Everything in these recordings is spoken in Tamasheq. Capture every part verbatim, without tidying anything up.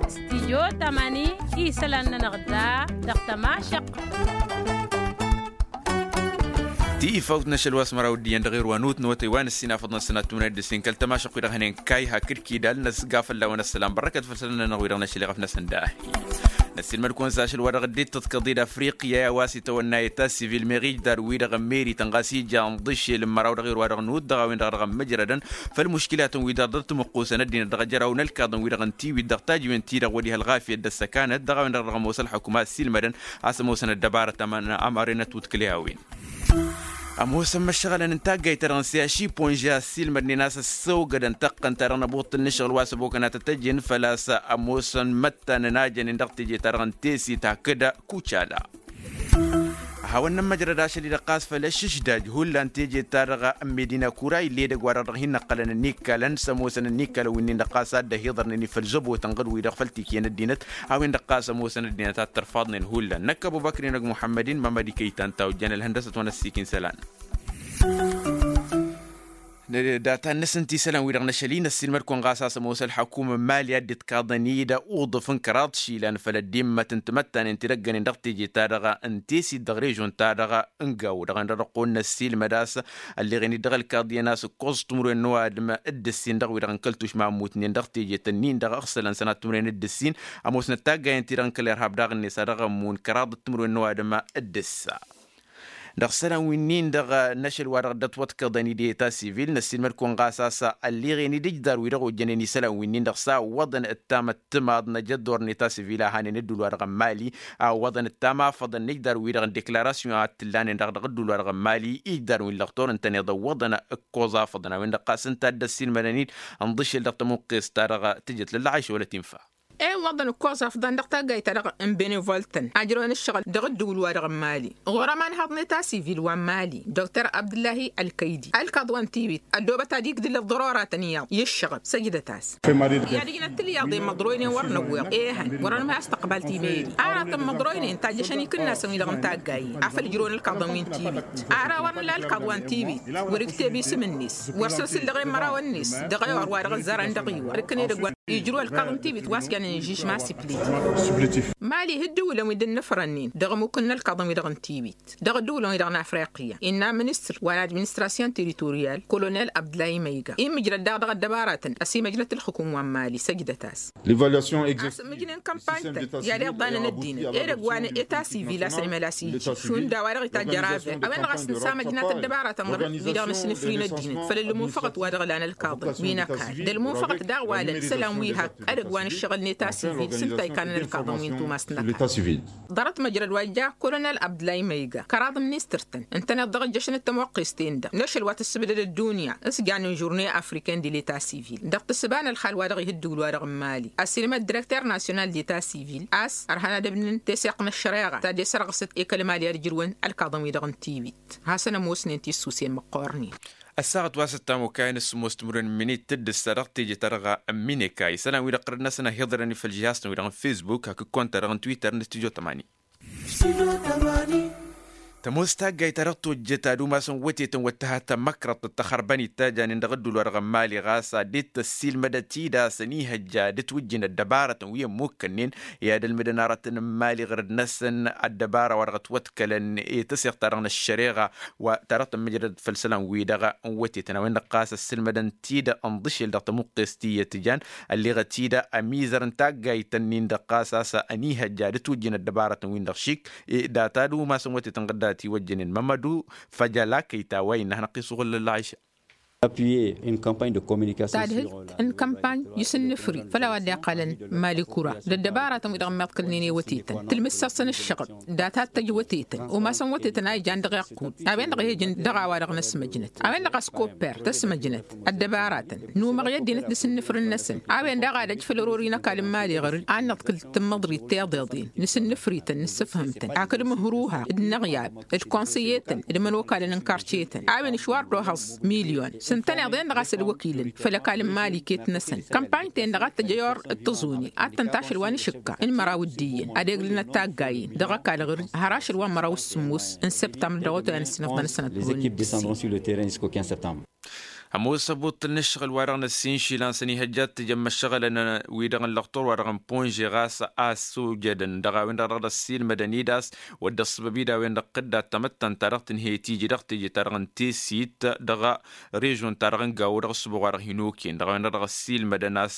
Stijyo tamani isălan-nănăɣ da dăɣ-tămašăqq. Ti ifawt n-ašăl wa s-măraw d-iyyăn dăɣ-irwa n-utnăwătăy wa n-ǝssin afăḍăn sănat tumnăy d-ǝssin kăl-tămašăqq wi dăɣ-hănen kayha kǝdkidal năsga fălla-wen ăssălam bărrăkăt făll-sănănănăɣ wi dăɣ-năšăl iɣăf-năsăn dahi. Năssiilmăd-kăwăn s-ašăl wa dăɣ-dd-ittăḍkăḍ-i d-afriqya i-a-wa s-itawănna i-ta sivil meɣ ijdar-wi-dăɣ n-meri tănɣas ija ǝnḍǝšel n-măraw dăɣ-irwa dăɣ-nut dăɣ-a-wen-dăɣ dăɣ-ămmǝjrădăn făll-muškilatăn-wi-dăɣ dăr-timǝqqusăn ăddinăt dăɣ-ajăraw n-ălkaḍăn-wi-dăɣ n-tiwit dăɣ-tajǝwen-ti-dăɣ wăr-iha ălɣafyăt d-ăssăkanăt dăɣ-a-wen-dăɣ dăɣ-ămoos ălḥukuma ăssiilmădăn a-s ămoosăn ăddăbarăt ămărenăt wǝtkǝl i-a-wen. Ămoosăn măššăɣălăn n-taggayt-ta-dăɣ n-siyaši ponža ăssiilmădnen a-s ăssăwgădăn taqqăn-ta-dăɣ n-ăbuṭṭǝl n-ašăɣǝl wa s-ăbokăn a tăt-ăjjin făl-a-s ămoosăn măttanăn a jănen dăɣ-teje-ta-dăɣ n-tesit hakd kucala. A hawăn-nămmăjrăd ašăl-i-dăɣ ɣas făll-ăššǝšdaj hullan teje-ta-dăɣ n-medina kura ill'-edăgg wa-dăɣ dăɣ-hin-năqqălăn ǝnnikkalăn s-ămoosăn ǝnnikkalăn wi-nin-dăɣ ɣas a dd-ăhiḍărnen i-făll-zăbotăn ɣǝd-wi-dăɣ făll-tikǝyăn ăddinăt a-wen-dăɣ ɣas ămoosăn ăddinăt a t-ărfaḍnen hullan năkkăb obăkri-năg muḥămmăd-in mămăd ikăy-tan ta ojjăn ălhăndăsăt wa n-ăssiik n-isălan. Data-năsăn ti isălan-wi-dăɣ n-ašăl-i năssiilmăd-kăwăn ɣas a-s ămoos ălḥăkum n-mali a dd-itkaḍăn-i d-uḍǝf n-kăraḍ išilan făll-ăddimmăt n-timăttanen ti dăgg-ănen dăɣ-teje-ta-dăɣ n-tesit dăɣ-režon-ta-dăɣ n-gawo dăɣ-en-dăɣ dăɣ-kăwăn-năssiilmăd a-s ălleɣen-dd dăɣ-ălkaḍ iyyăn a-s ǝkkoẓ timǝrwen n-ăwadǝm d-ǝssin dăɣ-wi-dăɣ n-kăl-tušma ămmutnen dăɣ-teje-tăn-in-dăɣ ăɣsălăn sănat timǝrwen d-ǝssin ămoosnăt taggayen-ti-dăɣ n-kăl-irhab daɣ-net a dăɣ-ămmun kăraḍăt timǝrwen n-ăwadǝm d-ǝssa. Dăɣ-isălan wi-nin-dăɣ n-ašăl wa dăɣ-dd-ătwăḍkăḍăn-dd i-ta sivil năssiilmăd-kăwăn ɣas a-s ălleɣen-dd ǝjdar-wi-dăɣ ojjănen isălan wi-nin-dăɣ s-a ǝwwăḍăn d-tamăttǝmaḍ n-ajăddur n-i ta sivil a hanen ădduul-wa-dăɣ n-mali a ǝwwăḍăn d-tamafăḍăn n-ǝjdar-wi-dăɣ n-deklarasyon a t-ǝllanen-dăɣ dăɣ-ădduul-wa-dăɣ n-mali ǝjdar wi n-lăxtur ǝntăneḍ ǝwwăḍăn ǝkkoẓ afăḍăn a-wen-dăɣ ɣas ǝnta a dd-ăssiilmădăn-dd ǝnḍǝšel dăɣ-tămuqqest-ta-dăɣ tǝjăt lăllăɣayš wăla t-infa. E ǝwwăḍăn ǝkkoẓ afăḍăn dăɣ-taggayt-ta-dăɣ n-benevol-tăn ajrăwăn ǝššăɣǝl dăɣ-ǝddǝwǝl-wa-dăɣ n-mali ɣur-ămanhăḍ n-eta sivil wa n-mali dr abdǝllahi ălkăydi ălkaḍ wa n-tiwit ăddoobăt ad-igdǝl ăḍḍăroratăn iyyăḍ i-ǝššăɣǝb săjdăt-as. I-ad-ǝjnăt tǝlyaḍen măḍroynen wăr năwweḍ ehăn wăr-ănmăy a-s tăqbal timeri aratăn măḍroynen tajjăšăn ikǝnnasăn-wi-dăɣ n-taggayen afăl ǝjrăwăn ălkaḍăn wi n-tiwit ara wăr nǝla ălkaḍ wa n-tiwit wăr-ikteb isǝm-net wăr săr-sǝllăɣen măraw-net dăɣ-ewăr wa dăɣ-ăzzarăn dăɣ-iwăr ǝkkăn edăgg wa ijrăw ălkaḍ n-tiwit wa s-jannen žijma siplit. Mali ihǝddǝwǝlăn wi dd-ǝnnǝfrănnen dăɣ-ămukǝn n-ălkaḍăn wi-dăɣ n-tiwit dăɣ-ăddǝwǝlăn wi-dăɣ n-afriqya innă ministăr wa n-administrasyon teritoriyal kolonel abdlay măyga immǝjrăd daɣ dăɣ-ăddăbaratăn ăsimăjnăt ǝlxǝkum wa n-mali săjdăt-as. Asǝmmǝjnen kămpany-tăn i-ad-iḍanăn ăddinăt edăgg wa n-eta sivil a-s ănimăl a-s iji šund a-wa dăɣ-itajj ăraver a-wen-dăɣ a-s nǝsamăjnat ăddăbaratăn ɣǝr-wi-dăɣ nǝsnǝfri n-ăddinăt făll-ălmunfăɣăt wa dăɣ-ǝlan ălkaḍăn wi n-ăkall d-ălmunfăɣăt daɣ walăn isălan wi hakk edăgg wa n-ǝššăɣǝl n-eta sivil s-ǝnta ikannăn ălkaḍăn wi n-tumas n-ăkall. Ḍarăt măjrăd wa ija kolonel abdlay măyga kăraḍ ministăr-tăn ǝntăneḍ dăɣ-ǝjjăšăn d-tămoqqes-ten-dăɣ n-ašăl wa tǝssǝbdăd ăddunya s-jannen žurne afriken di l-eta sivil dăɣ-tǝssǝba n-ălxal wa dăɣ-ih ǝddǝwǝl wa dăɣ-n mali ăssiilmăd direkter nasyonal d-eta sivil a-s ărhan ad-ǝbnǝn teseɣt n-ăššăreɣa ta dd-esărɣǝsăt i-kăl-mali ad-ǝjrǝwăn ălkaḍăn-wi-dăɣ n-tiwit. Hasăn-ămoosnen tissusen măqqoornen. Ăssaɣăt wa s-ăttam okayăn s-sǝmmos timǝrwen n-iminit tǝddǝssa dăɣ-teje-ta-dăɣ n-mineka isălan-wi-dăɣ ɣărăt-năsăn a hi-iḍrăn i-făll-žihasăn-wi-dăɣ n-fesbuk hakd konta-dăɣ n-twitter n-studyo tămani. Tămoos taggayt ta dăɣ-tojjăt ad-umasăn wătetăn wăt tǝha tamăkrăḍt d-tăxărbăn-dd ta janen dăɣ-ădduul-wa-dăɣ n-mali ɣas ad-dd-tăssiilmădăt-dd a-s ănihăjja d-ǝtwǝjjǝn ăddăbarătăn wi ămmukkănnen i-ad-ălmǝdăn aratăn n-mali ɣărăd-năsăn ăddăbara wa dăɣ-ătwăḍkălăn i-tăseɣt-ta-dăɣ n-ăššăreɣa wa ta dăɣ-tămmǝjrăd făll-isălan-wi-dăɣ n-wătetăn a-wen-dăɣ ɣas ăssǝlmădăn-t-dd ănḍǝšel dăɣ-tămuqqest tiyyăt jan ălleɣăt-dd ămizăr n-taggayt-ǝnnin-dăɣ ɣas a-s ănihăjja d-ǝtwǝjjǝn ăddăbarătăn-win-dăɣ šik. Data d-umasăn wătetăn ɣǝddat iwăjjănen mămădu făjăla kăyta wa innă hanăɣ-t-isuɣǝl ălɣayša. Appuyer une campagne de communication ta dăɣ-t n-kampany isǝnnǝfri făll-a-wa dd-iqqalăn mali kura d-ăddăbaratăn wi dăɣ-ămmiḍkǝlnen i-wătetăn tǝlmǝssăɣ-săn ǝššăɣǝb. Data ad-t-ăj wătetăn umasăn wătetăn a ijan dăɣ-iqqud a-wen-dăɣ a hi-ăjǝn dăɣ-a-wa-dăɣ n-ăsmăjnăt a-wen-dăɣ a-s kopper tăsmăjnăt ăddăbaratăn număɣ i-ăddinăt d-asǝnnǝfrǝn-năsăn a-wen daɣ ad-ăj făll-ărori n-ăkall n-mali ɣăr-dd ad-nǝḍkǝl tǝmmăḍrit tiḍeḍen nǝsǝnnǝfri-tăn nǝssǝfhǝm-tăn hakd imǝhruha d-inăɣyab d-konsăyetăn d-imănokalăn n-karcetăn a-wen išwar d-ohăẓ milyon s-ǝntăneḍ-en-dăɣ a-s ălwăkilăn făll-ăkall n-mali iket-năsăn. Kămpany-ten-dăɣ ad-tăj ăyor d-tăẓune ad-tăn-tašăl wa n-išǝkka n-măraw d-iyyăn ad-eglǝnăt taggayen dăɣ-ăkall ɣǝr-dd har ašăl wa n-măraw s-sǝmmos n-săbtămbăr dăɣ-otăyăn s-inăḍăn-năsăn ăddăwăl n-dd-săn. Ămoos ăbutăl n-ǝššăɣǝl wa-dăɣ n-ăssin išilan s-ănihăjja ad-t-ǝjăn imăššăɣǝlăn wi-dăɣ n-lăxtur wa-dăɣ n-ponže ɣas a ăssojădăn dăɣ-a-wen-dăɣ dăɣ-dd-ăssiilmădăn-dd a-s wădden ăṣṣăbăb-dd a-wen-dăɣ tǝdda tamăttant-ta-dăɣ tǝnhăy tiji dăɣ-teje-ta-dăɣ n-tesit dăɣ-režon-ta-dăɣ n-gawo dăɣ-ăṣṣubuɣ wa-dăɣ hin-okăyăn dăɣ-a-wen-dăɣ dăɣ-ăssiilmădăn a-s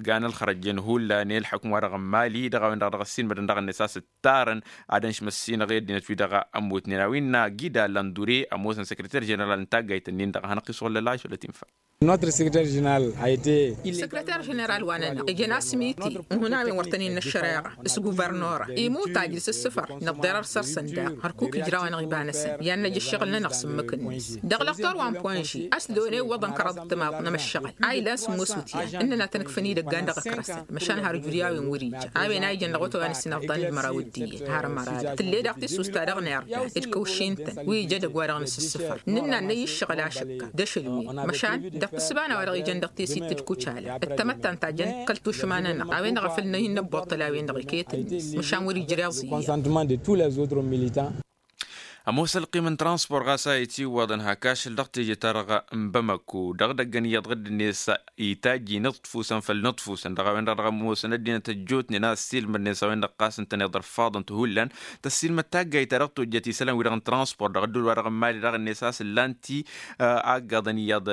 gan ălxărăjjăn hullan i-ălḥukǝm wa-dăɣ n-mali dăɣ-a-wen-dăɣ dăɣ-ăssiilmădăn dăɣ-net a-s ǝttarăn ad-ănšmăssinăɣ i-ăddinăt-wi-dăɣ ămmutnen a-wa innă gida lăndure ămoosăn săkrăter ženeral n-taggayt-nin-dăɣ a hanăɣ-isɣullăl ašăl ătinfa. Notre secrétaire général a été. Săkrăter ženeral wa-nănăɣ ijăn asmiti n-hun a-wen wăr tăn-innă ăššăreɣa s-guvărnora imut ajǝl s-ǝssǝfăr năḍḍerăr săr-săn daɣ hărkuk ijraw-anăɣ iba-năsăn i-ad-năj ǝššăɣǝl-nănăɣ s-ǝmmǝk-net dăɣ-lăxtor wa n-ponži a-s dd-one iwwăḍăn kăraḍ ǝttămaḍ n-emăššăɣăl a ilan sǝmmos utyan ǝnnăn ad-tăn-ǝkfăn idăggan dăɣ-ăkrăsăn măšan har ǝjud i-a-wen wăr-ija a-wen a ijăn dăɣ-otăwa n-ǝssin ăḍḍan d-măraw d-iyyăn har ămăra dăɣ-tǝlle daɣ tisust-ta-dăɣ n-irdan d-kăwšin-tăn wi ija edăgg-wa-dăɣ n-asǝssǝfăr nǝnna ad-năy ǝššăɣǝl ašăkka d-ašăl-wen măšan dăɣ-tǝssǝbana wa-dăɣ ijăn dăɣ-tesit d-kucala d-tamăttant ta jăn kăl-tušma-nănăɣ a-wen-dăɣ a făl năy n-ăbboṭṭăl a-wen-dăɣ iket-net măšan wăr-ijreẓ iyyăn. Ămoos ălqim n-transpor ɣas a itiwwăḍăn hak ašăl dăɣ-teje-ta-dăɣ n-bamăko dăɣ-idăggăn iyyăḍ ɣǝdd-net itajj inǝḍfusăn făll-inǝḍfusăn dăɣ-a-wen-dăɣ dăɣ-ămoosăn ăddinăt ăjjootnen a ăssiilmădnen s-a-wen-dăɣ ɣas ǝntăneḍ ărfaḍăn tǝhullăn tăssiilmăd taggayt ta dăɣ-tojjăt isălan-wi-dăɣ n-transpor dăɣ-ădduul wa dăɣ-n mali dăɣ-net a-s ǝllan-t-i aggaḍăn iyyăḍ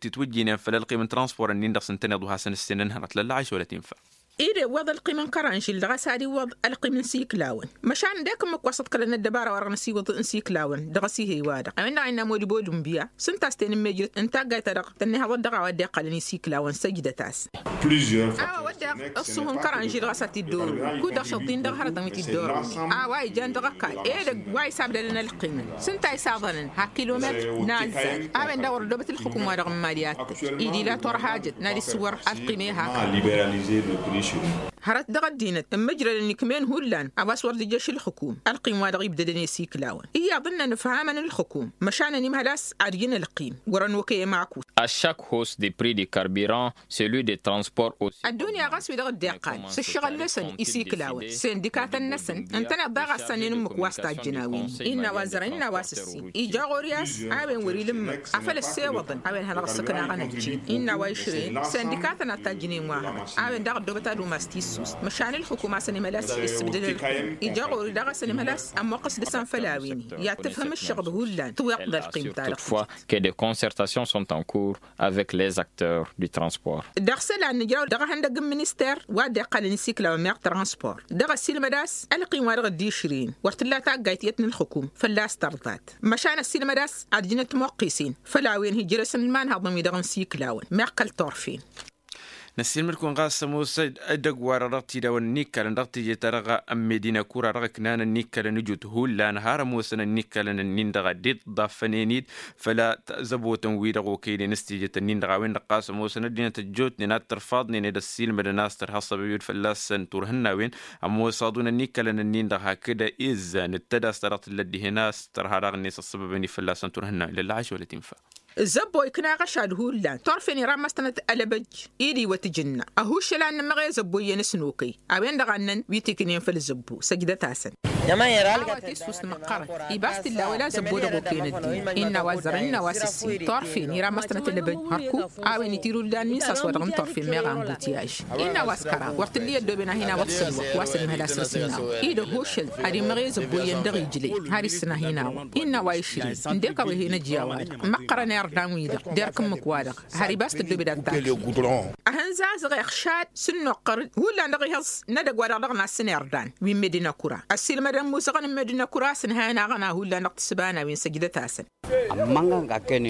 titwǝjjinen făll-ălqim n-transpor-nin-dăɣ s-ǝntăneḍ wa hasăn-ǝssin ǝnhănăt lălla ašăl ătinfa. Ed iwwăḍ ălqim n-kăranžil dăɣ-a-s ad-iwwăḍ ălqim n-siklawăn măšan d-e-k ǝmmǝk wa s-ăḍkălăn ăddăbara wa dăɣ-năsiwǝḍ n-siklawăn dăɣ-asihăy wa-dăɣ a-wen-dăɣ a innă modibo d-unbiya s-ǝnta a-s tenǝmmejrăt n-taggayt-ta-dăɣ tănnihăḍăt dăɣ-a-wa dd-iqqălăn isiklawăn săjdăt-as. Ăssuh n-kăranžil ɣas a t-dd-oru kud-dăɣ šăḍḍin dăɣ-hărătăn wi t-dd-oru a-wa ijan dăɣ-ăkall edăgg wa isabdălăn ălqimăn s-ǝnta a isaḍănăn hak kilometr n-azzar a-wen daɣ wăr ăddoobăt ǝlxǝkum wa dăɣ-n mali ad-tăj ed ila turhajăt n-ad-issǝwwăr ălqim ehak. Hărăt dăɣ-ăddinăt ǝmmǝjrădăn ikmen hullan a-wa s-wăr dd-ijjăš ǝlxǝkum ălqim wa dăɣ-ibdădăn i-siklawăn iyyăḍ ǝnnăn ǝfhamăn ǝlxǝkum măšan ănimhăl a-s ad-ijǝn ălqim wăr-ănokăy ămakut. À chaque hausse des prix du carburant, celui des transports aussi. Ăddunya ɣas wi-dăɣ dd-iqqal s-ǝššăɣǝl-năsăn isiklawăn sendikatăn-năsăn ǝntăneḍ daɣ a ǝssannen ǝmmǝk wa s-tajjăn a-wen innă wa zărăn innă wa s-ǝssin ija ɣur-i a-s a-wen wăr-ila ǝmmǝk afăl ăssewăḍăn a-wen hanăɣ-ăssăknaɣăn ăjjeen innă wa išrăyăn sendikatăn ad-tajjǝnen wa hărăt a-wen daɣ ăddoobăt ad-umas tissust măšan ǝlxǝkum a-s ănimhăl a-s issǝbdǝl ălxǝkum ija ɣur-i daɣ a-s ănimhăl a-s ămmoqqăs dăɣ-săn făll-a-wen i-ad-tǝfhǝm ǝššăɣǝb hullan tǝwiḍ d-ălqim-ta-dăɣ. Toutefois que des concertations sont en cours avec les acteurs du transport. Dăɣ-isălan nǝjraw dăɣ-ehăndăgg n-minister wa dd-iqqălăn isiklawăn meɣ transport dăɣ-ăssiilmăd a-s ălqim wa dăɣ-dd-išrǝyăn wăr t-tǝlla taggayt iyyăt n-ǝlxǝkum fălla-s tărḍat măšan ăssiilmăd a-s ad-ǝjǝn ătmoqqisen făll-a-wen hijrăsăn imanhăḍăn wi-dăɣ n-isiklawăn meɣ kăl-turfen. Năssiilmăd-kăwăn ɣas ămoos edăgg-wa-dăɣ dăɣ-tidawăn n-ikkalăn dăɣ-teje-ta-dăɣ n-medina kura dăɣ-ǝknanăn n-ikkalăn ǝjut hullan har ămoosăn n-ikkalăn-ǝnnin-dăɣ a dd-iḍḍaffănen-dd făll-zăbotăn-wi-dăɣ okăynen s-tejet-ǝnnin-dăɣ a-wen-dăɣ ɣas ămoosăn ăddinăt ăjjootnen ad-tărfaḍnen ed ăssiilmădăn a-s tărha ăṣṣăbăb-dd fălla-săn turhǝnnawen. Ămoos aḍunăn n-ikkalăn-ǝnnin-dăɣ hakd izzan d-tădast ta dăɣ-tǝllăt dihen a-s tărha daɣ-net ăṣṣăbăb-en-i fălla-săn turhǝnnawen lălla ašăl ătinfa. Zăbbo ikna ɣăšad hullan turfen iramăstănăt ălăbăj-i d-iwăt ǝjǝnna ăhuššăl a n-nǝmmăɣ i-zăbbo iyyăn s-nokăy a-wen-dăɣ a ǝnnăn wi t-iknen făll-zăbbo săjdăt-asăn. A-wa tissust măqqărăt ibas t-illa wăla zăbbo dăɣ-okăyăn ăddinăt innă a-wa ăzzărăn innă a-wa s-ǝssin turfen iramăstănăt ălăbăj hărkuk a-wen itiruldan min s-a-s wa dăɣ-n turfen meɣ ambutiyaj innă a-wa s-kăraḍ wăr t-ǝlli ăddooben a hin-awăḍ sălwăk wa s-ănimhăl a-s ăssin-awăḍ-i d-ăhošăl ad-immăɣ i-zăbbo iyyăn dăɣ-ijlăy har issǝn a hin-awăḍ innă a-wa išrǝy ǝndek a-wa hen-ăj i-a-wa-dăɣ măqqărăn irdan wi-dăɣ derk ǝmmǝk-wa-dăɣ har ibas tăddoobed ad-tašǝy. Ahǝnzazăɣ iɣšad s-ǝnnuqqăr-dd hullan dăɣ-ihǝẓ n-edăgg-wa-dăɣ dăɣ-nasǝn irdan wi n-medina kura ăssiilmădăn musăɣăn n-medina kura a-s ǝnhăyăn aɣăna hullan dăɣ-tǝssǝbana wi n-săjdăt-asăn.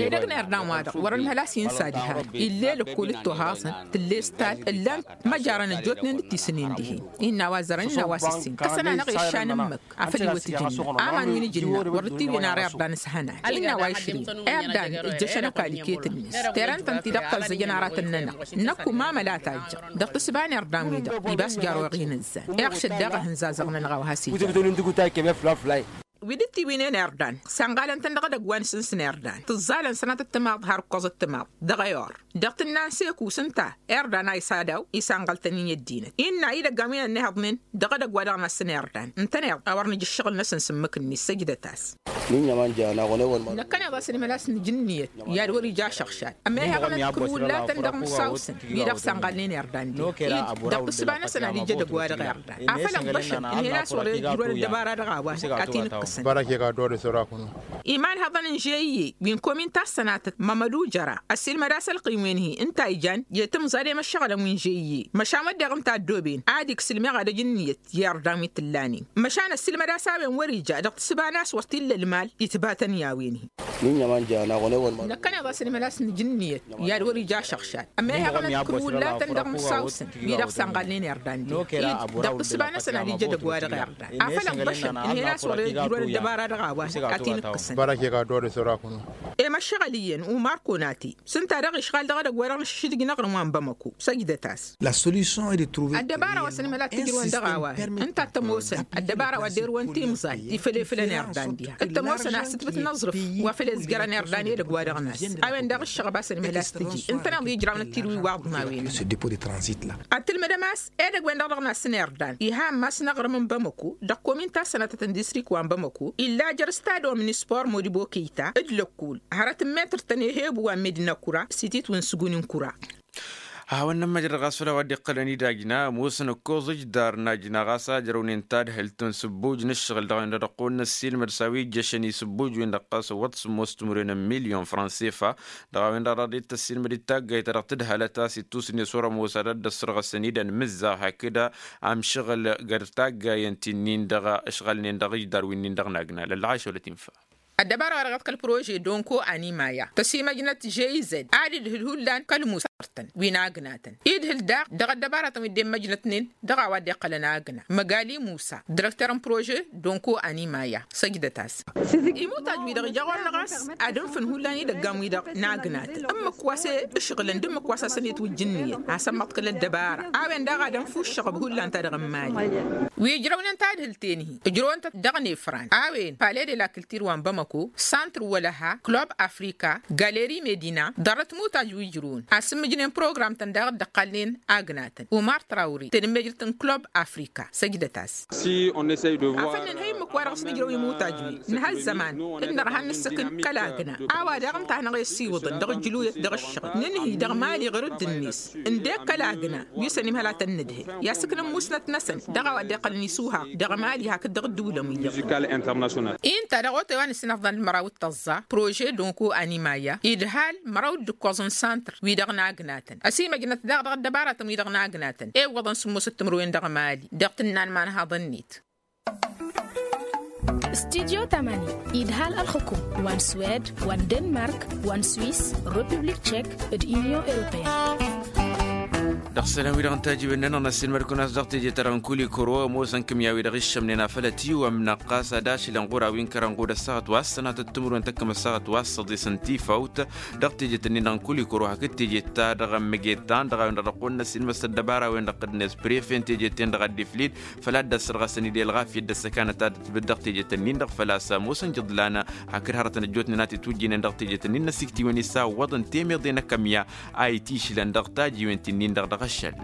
Edăgg n-irdan-wa-dăɣ wăr-ănhăl a-s insa diha-dăɣ ill'-e lăkkol d-tohaẓăn tǝll'-e s-tal ǝllan-t măjarăn ăjjootnen d-tisǝnnin dihen innă a-wa zărăn innă a-wa s-ǝssin kăsăn-anăɣ iššan ǝmmǝk afăl iwăt ǝjǝnna aman wi n-ǝjǝnna wăr dd-tiwǝyăn ar irdan s-hănan innă a-wa išrǝy irdan ǝjjăšăn ăkall iket-net terăn-tăn-ti-dăɣ tăẓẓăjăn aratăn-nănăɣ năkk umamăl a tajjăɣ dăɣ-tǝssǝba n-irdan-wi-dăɣ ibas jaroɣ inǝzzan iɣšăd daɣ ahǝnzazăɣ-nănăɣ a-wa has-ija. Wi dd-tiwǝynen irdan sanɣalăn-tăn dăɣ-edăgg wa n-sǝns n-irdan tǝẓẓalăn sănatăt timaḍ har ǝkkoẓăt timaḍ dăɣ-ayor. Dăɣ-tǝnna n-seku s-ǝnta irdan a isadaw isanɣăl-tăn-in i-ăddinăt innă idăggan wi n-ănnihăḍnen dăɣ-edăgg wa dăɣ-năssăn irdan ǝntăneḍ a wăr nǝj ǝššăɣǝl-năsăn s-ǝmmǝk-net săjdăt-as. Năkkăneḍ a-s ănimălas n-ijǝnniyăt i-ad-wăr ija ašăɣšad ămmeha iɣănăt kǝrwǝllatăn dăɣ-imǝssawsăn wi-dăɣ sănɣalnen irdan-di-dăɣ tǝsba-năsăn ad-ija edăgg-wa-dăɣ irdan afăl ǝnḍăšăn ǝnhăy n-a-s wăr-ijrǝwăn ăddăbara dăɣ-a-wa ad-t-in-ǝkkǝsăn. Imanhăḍăn n-žeyye wi n-komin ta s-sănatăt mămădu jăra ăssiilmăd-as ălqim-wen-hi ǝnta ijan i-timẓad i-imăššăɣǝlăn wi n-žeyye măšan wădden ǝnta ăddooben ad-iksa ǝlmeɣ ad-ăj ǝnniyăt i-irdan wi t-ǝllanen măšan ăssiilmăd-as a-wen wăr-ija dăɣ-tǝsba n-a-s wăr t-illa ălmal itbatăn i-a-wen-hi. Năkkăneḍ a-s ănimălas n-ijǝnniyăt i-ad-wăr-ija ašăɣšad ămmeha iɣănăt kǝrwǝllatăn dăɣ-imǝssawsăn wi-dăɣ sănɣalnen irdan-di-dăɣ tǝsba-năsăn ad-ija edăgg-wa-dăɣ irdan afăl ǝnḍăšăn ǝnhăy n-a-s wăr-ijrǝwăn ăddăbara dăɣ-a-wa ad-t-in-ǝkkǝsăn. Emăššăɣăl iyyăn umar konati s-ǝnta-dăɣ išɣal dăɣ-edăgg wa dăɣ-nǝššǝšdǝj n-aɣrǝm wa n-bamăko săjdăt-as. Ăddăbara wa s-ănimăla t-ǝjrǝwăn dăɣ-a-wa ǝnta t-ămoosăn ăddăbara wa dd-irǝwăn timẓal ifălefălăn irdan diha t-ămoosăn asǝtbǝt n-aẓrǝf wa făl izjărăn irdan edăgg wa dăɣ-nas a-wen daɣ ǝššăɣăb a-s ănimăla a-s tǝji ǝntăneḍ ijrawăn d-tirǝwi waḍǝn a-wen. Ad-tǝlmǝdăm a-s edăgg-wen-dăɣ dăɣ-nas n-irdan iha ammas n-aɣrǝm n-bamăko dăɣ-komin ta s-sănatăt n-distrikt wa n-bamăko illa jer-stadon n-ispor modibo kăyta d-lăkkul hărăt n-metăr-tăn i-hebu wa n-medina kura s-itit wi n-sǝguni n-kura. Hawăn-nămmăjrăd ɣas făll-a-wa dd-iqqălăn idajna ămoosăn ǝkkoẓ ǝjdar n-ajna ɣas a ǝjrăwnen tadhǝlt n-sǝbbuj n-ǝššăɣǝl dăɣ-a-wen-dăɣ dăɣ-kăwăn-năssiilmăd s-a-wa ijjăšăn isǝbbuj-wen-dăɣ ɣas ăwwăḍ sǝmmos timǝrwen n-milyon fransefa. Dăɣ-a-wen-dăɣ dăɣ-dd-tăssiilmăd d-taggayt ta dăɣ-tǝdhălăt a-s ittusǝnne s-wăr-ămoos ad-dd-ăssărɣăsăn-dd ănmǝzzaɣ hakd amšăɣǝl găr taggayăn ti-nin-dăɣ ǝšɣălnen dăɣ-ijdar wi-nin-dăɣ n-agna lălɣašăwlăt infa. Ăddăbara wa dăɣ-iḍkăl prože donko animaya tăsimăjnăt žeyzăd ad-idhǝl hullan kăl-musartăn wi n-agnatăn idhǝl daɣ dăɣ-ăddăbaratăn wi dd-immăjnătnen dăɣ-a-wa dd-iqqălăn agna măgali musa dărektăr n-prože donko animaya săjdăt-as. Imutaj-wi-dăɣ ija ɣur-năɣ a-s ad-ǝnfǝn hullan idăggan-wi-dăɣ n-agnatăn ǝmmǝk wa s-e-ǝšɣǝlăn d-ǝmmǝk wa s-asăn-itwǝjj ǝnniyăt a-s ămmăḍkăl ăddăbara a-wen daɣ ad-ǝnfu ǝššăɣăb hullan ta dăɣ-n mali. Wi ǝjrăwnen tadhǝlt-en-hi ǝjrăwăn-tăt dăɣ-nefran a-wen pale de la kǝltir wa n-bamăko santr wălăha klub afrika galeri medina ḍarrăt mutaj wi ǝjrǝwăn asǝmmǝjnen program-tăn daɣ dd-ăqqalnen agnatăn umar trawri tănămmejrăt n-klub afrika săjdăt-as. Afăl nǝnhăy ǝmmǝk-wa-dăɣ s-nǝjrăw imutaj-wi nǝha ăzzăman d-nărha n-nǝssǝkǝn kăl-agna a-wa daɣ ǝnta a hanăɣ-e-ăssiwǝḍăn dăɣ-ǝjjǝluyăt dăɣ-ǝššăɣǝl nǝnhǝy dăɣ-mali ɣur-dd-net ǝndek kăl-agna wi s-ănimhăl a tăn-nǝdhǝl i-asǝknăm musnăt-năsăn dăɣ-a-wa dd-iqqălăn isuhaq dăɣ-mali hakd dăɣ-ǝddǝwǝlăn wi-dăɣ. Inta dăɣ-otay wa nǝssin ăfḍăn d-măraw d-tăẓẓa prože donko animaya idhal măraw d-ǝkkoẓ n-santr wi-dăɣ n-agnatăn ăsimăjnăt daɣ dăɣ-ăddăbaratăn wi-dăɣ n-agnatăn ewwăḍăn sǝmmosăt timǝrwen dăɣ-mali dăɣ-tǝnna n-imanhaḍăn-net. Studyo tamani idhal ălxǝkum wa n-swed wa n-denmark wa n-swis republik tchek d-unyon europeyăn. Dăɣ-isălan-wi-dăɣ n-tajǝwen-nănăɣ n-ăssiilmăd-kăwăn a-s dăɣ-teje-ta-dăɣ n-kulikoro ămoosăn kǝmya-wi-dăɣ iššămnen afăl ătiwămnăɣ ɣas ad-ašǝlăn ɣur-a-wi n-kărănɣud ăssaɣăt wa s-sănatăt timǝrwen tăkkăm ăssaɣăt wa s-săḍisăn tifawt. Dăɣ-tejet-ǝnnin-dăɣ n-kulikoro hakd tejet-ta-dăɣ n-măgget ta n-dăɣ-a-wen-dăɣ dăɣ-kăwăn-năssiilmăs ăddăbara-wen-dăɣ d-inǝs prefe n-tejet-ten-dăɣ ad-dd-iflid făl ad-dd-ăssărɣăsăn-dd i-ălɣafyăt d-ăssăkanăt ta d-tǝbǝd dăɣ-tejet-ǝnnin-dăɣ făl-a-s ămoosăn jǝḍlan hakd hărătăn ăjjootnen a t-itwǝjjǝynen dăɣ-tejet-ǝnnin n-ăsiktǝywen i-sawwăḍ n-temeḍe n-akămya a itišlăn dăɣ-tajiwen ti-nin-dăɣ dăɣ-ašăl.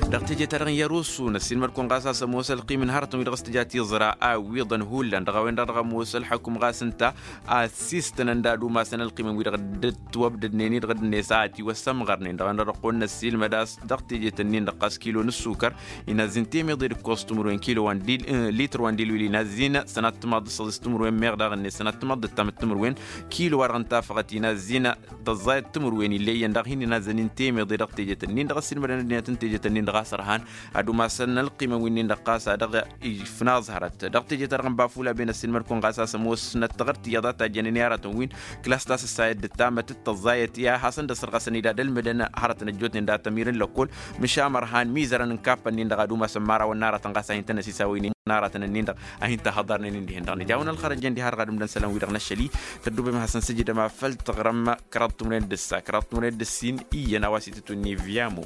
Dăɣ-teje-ta-dăɣ n-yarusu n-ăssiilmăd-kăwăn ɣas a-s ămoos ălqim n-hărătăn-wi-dăɣ s-tǝja tiẓra a ǝwwiḍăn hullan dăɣ-a-wen-dăɣ dăɣ-ămoos ălxăkum ɣas ǝnta a ăssiistănăn d-ad-umasăn ălqimăn-wi-dăɣ dd-ătwăbdădnen-i-dăɣ d-net a ătiwăssămɣărnen dăɣ-a-wen-dăɣ dăɣ-kăwăn-năssiilmăd a-s dăɣ-teje-tăn-nin-dăɣ ɣas kilo n-ǝssukăr inazzin temeḍe d-ǝkkoẓ timǝrwen kilo wa n-dil lităr wa n-dilwil inazzin sănat timaḍ d-săḍis timǝrwen meɣ daɣ-net sănat timaḍ d-ǝttamăt timǝrwen kilo-wa-dăɣ n-tafăɣăt inazzin tăẓẓayăt timǝrwen ill'-eyyăn daɣ hin-inazzăn-in temeḍe dăɣ-tejet-nin-dăɣ ăssiilmădăn ăddinăt n-tejet-nin-dăɣ a-s ărhan ad-umasăn ălqimăn wi-nin-dăɣ ɣas a dăɣ-ifnaẓhărăt dăɣ-tejet-ta-dăɣ n-bafula ben ăssiilmăd-kăwăn ɣas a-s ămoosnăt taɣărt iyyăḍ a tajjănen i-aratăn-win klas ta s-ǝssayăt d-tamăt d-tăẓẓayăt i-ad-hasăn-dd-ăssărɣăsăn-dd ad-ălmǝdăn hărătăn ăjjootnen d-ad-tămir n-lăkkol măšan mărhan mizărăn n-kappăn-nin-dăɣ ad-umasăn imărawăn n-aratăn ɣas a hin-tăn-ăsisawăynen n-aratăn-nin-dăɣ a hin-tahăḍarnen-in dihen-dăɣ nǝja a-wen ălxărăjăn diha ărɣad ǝmdăn isălan-wi-dăɣ n-ašăl-i tăddubem ad-hasăn-sǝjǝdăm afăl taɣrăm kăraḍ timǝrwen d-ǝssa kăraḍ timǝrwen d-ǝssin iyyăn a-wa s-itǝtwǝnni vyamo.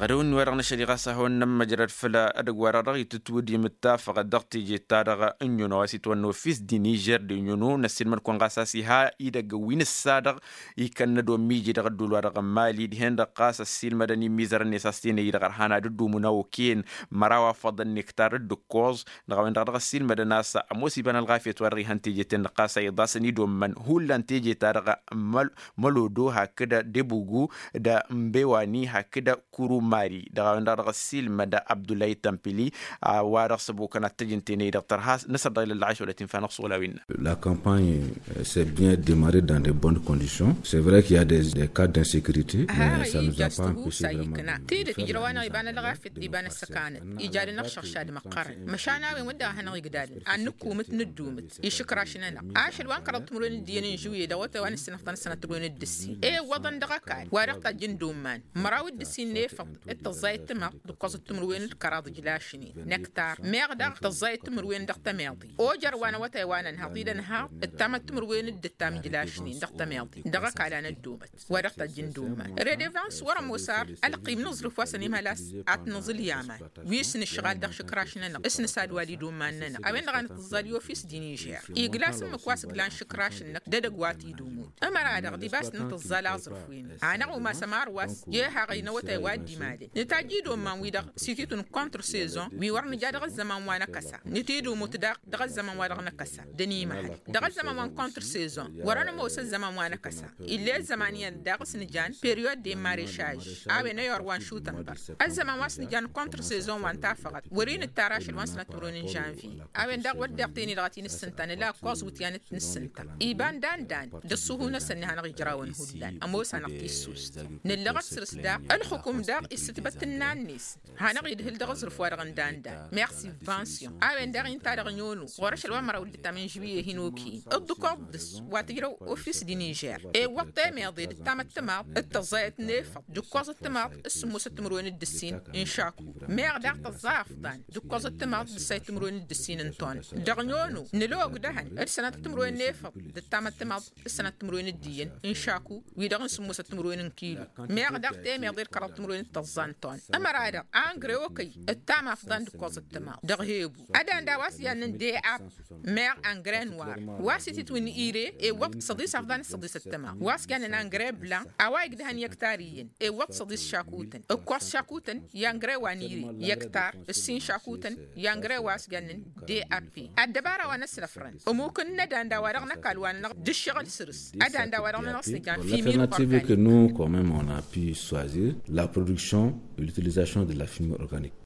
Ădăwăn-wi-dăɣ n-ašăl i-ɣas ad-hawăn-nămmăjrăd făll-edăgg-wa-dăɣ dăɣ-itǝtwǝdǝm d-tafăɣăt dăɣ-teje-ta-dăɣ n-inyăno a-s itwănna ofis d-inižer d-inyăno n-ăssiilmăd-kăwăn ɣas a-s iha idăgg wi n-ǝssa-dăɣ ikănnăd ommiji dăɣ-ădduul-wa-dăɣ n-mali dihen-dăɣ ɣas ăssiilmădăn imizărăn-net a-s tenăyy-dăɣ ărhan ad-ǝddumǝn a okăyăn măraw afăḍăn nektar d-ǝkkoẓ. Dăɣ-a-wen-dăɣ dăɣ-ăssiilmădăn a-s ămoos iba n-ălɣafyăt wa dăɣ-ihăn teje-ten-dăɣ ɣas a iḍasăn idommăn hullan teje-ta-dăɣ măl mălodo hakd debugu d-mbewani hakd kurumari dăɣ-a-wen-dăɣ dăɣ-ăssiilmăd abdullahi tămpili. A-wa-dăɣ s-ăbokăn ad-t-ăjǝn tenăyy-dăɣ tărha năsăr dăɣ-ilăllăɣ ašăl wa t-infa năɣsăɣ wăla wi n-năɣ. La campagne s'est bien démarrée dans de bonnes conditions. C'est vrai qu'il y a des cas d'insécurité mais ça nous a pas empêché vraiment. Tidǝt ijrăw-anăɣ iba n-ălɣafyăt d-iba n-ăssăkanăt ija d-inăɣšăɣšad măqqărăn măšan a-wen wădden a hanăɣ-igdadăn ad-nǝkkumǝt nǝddumǝt išǝkraš-nănăɣ ašăl wa n-kăraḍ timǝrwen d-iyyăn n-žuwye dăɣ-awătay wa n-ǝssinăfḍăn sănăt timǝrwen d-ǝssin i-iwwăḍăn dăɣ-ăkall wa dăɣ-tajjǝn d-umman măraw d-ǝssin n-efăḍ d-tăẓẓayăt timaḍt d-ǝkkoẓăt timǝrwen d-kăraḍ ǝjlašnen năktar meɣ daɣ tăẓẓayăt timǝrwen dăɣ-tămeḍe ojăr wa n-awătay wa nănhăḍ-i d-ănhăḍ ǝttamăt timǝrwen d-ǝttam ǝjlašnen dăɣ-tămeḍe dăɣ-ăkall a năddomăt wa dăɣ-tajjǝn d-umman redevans wăr-ămoos ar ălqim n-aẓrǝf wa săn imhăl a-s ad-t-nǝẓǝl i-aman wi s-nǝšɣal dăɣ-išǝkraš-nănăɣ s-nǝsadwal i-dd-umman-nănăɣ a-wen-dăɣ a nǝtǝẓẓal i-ofis d-inižer igla s-ǝmmǝk wa s-ǝglan išǝkraš-năk d-edăgg wa t-dd-umut ămăra-dăɣ d-ibas nǝtǝẓẓal aẓrǝf-wen-dăɣ hanăɣ-umas ămar wa s-jehaɣăy n-awătay wa dd-imalăn nǝtajj-dd umman-wi-dăɣ s-ititǝw n-contre-saison wi wăr nǝja dăɣ-ăzzăman wa n-akăsa nǝtidǝmut daɣ dăɣ-ăzzăman wa dăɣ-năkăsa d-ănimăhăl dăɣ-ăzzăman wa n-contre-saison wăr-ănămoos ăzzăman wa n-akăsa ill'-e ăzzăman iyyăn daɣ s-nǝjan periodd de marechaž a-wen ăyor wa n-šutănbăr ăzzăman wa s-nǝjan contre-saison wa n-tafăɣăt wăr-inǝttar ašăl wa n-sănat timǝrwen n-žănvye a-wen daɣ wăr deɣ teni-dăɣ a t-in-ǝssǝnta nǝla ǝkkoẓ wǝtyan t-nǝssǝnta iba n-dan-dan d-ǝṣṣuhu-năsăn i-hanăɣ-ijrawăn hullan ămoos-anăɣ tissust nǝllăɣăt săr-s daɣ ǝlxǝkum daɣ issǝtbăt ǝnnan-net hanăɣ-idhǝl dăɣ-aẓrǝf-wa-dăɣ n-dan-dan meɣ sibvansiyon a-wen daɣ inta dăɣ-nyono ɣur-ašăl wa n-măraw d-ǝttam n-žuwye hin-okăyăn dd-ǝkkoḍ dăɣ-s wa tǝjrăw ofis d-inižer ewwăḍ temeḍe d-ǝttamăt timaḍt d-tăẓẓayăt n-efăḍ d-ǝkkoẓăt timaḍt d-sǝmmosăt timǝrwen d-ǝssin n-šaku meɣ daɣ tăẓẓa afḍan d-ǝkkoẓăt timaḍt d-ǝssayăt timǝrwen d-ǝssin n-ton dăɣ-nyono nǝlog dăhăn d-sănatăt timǝrwen n-efăḍ d-ǝttamăt timaḍt d-sănatăt timǝrwen d-iyyăn n-šaku wi-dăɣ n-sǝmmosăt timǝrwen n-kilu meɣ daɣ temeḍe d-kăraḍ timǝrwen d-tăẓẓa n-ton ămăra-dăɣ angre okăy ǝttam afḍan d-ǝkkoẓăt timaḍt dăɣ-hebu ădan daw-a-s jannen d-e-ap meɣ angre n-war wa s-ititwǝn ire ewwăḍ săḍis afḍan d-săḍisăt timaḍt wa s-jannen angre blan a-wa igdăhăn i-ăktar iyyăn ewwăḍ săḍis šakutăn ǝkkoẓ šakutăn i-angre wa n-ire i-ăktar ǝssin šakutăn i-angre wa s-jannen d-e-ap ăddăbara wa n-ăsnăfrăn ămukǝn n-ădanda wa dăɣ-năkall wa-nănăɣ d-ǝššăɣǝl săr-s ădanda wa dăɣ-nănăɣ s-nǝjan fi mil. Alternative que nous quand même on a pu choisir la production et l'utilisation de la fumée organique.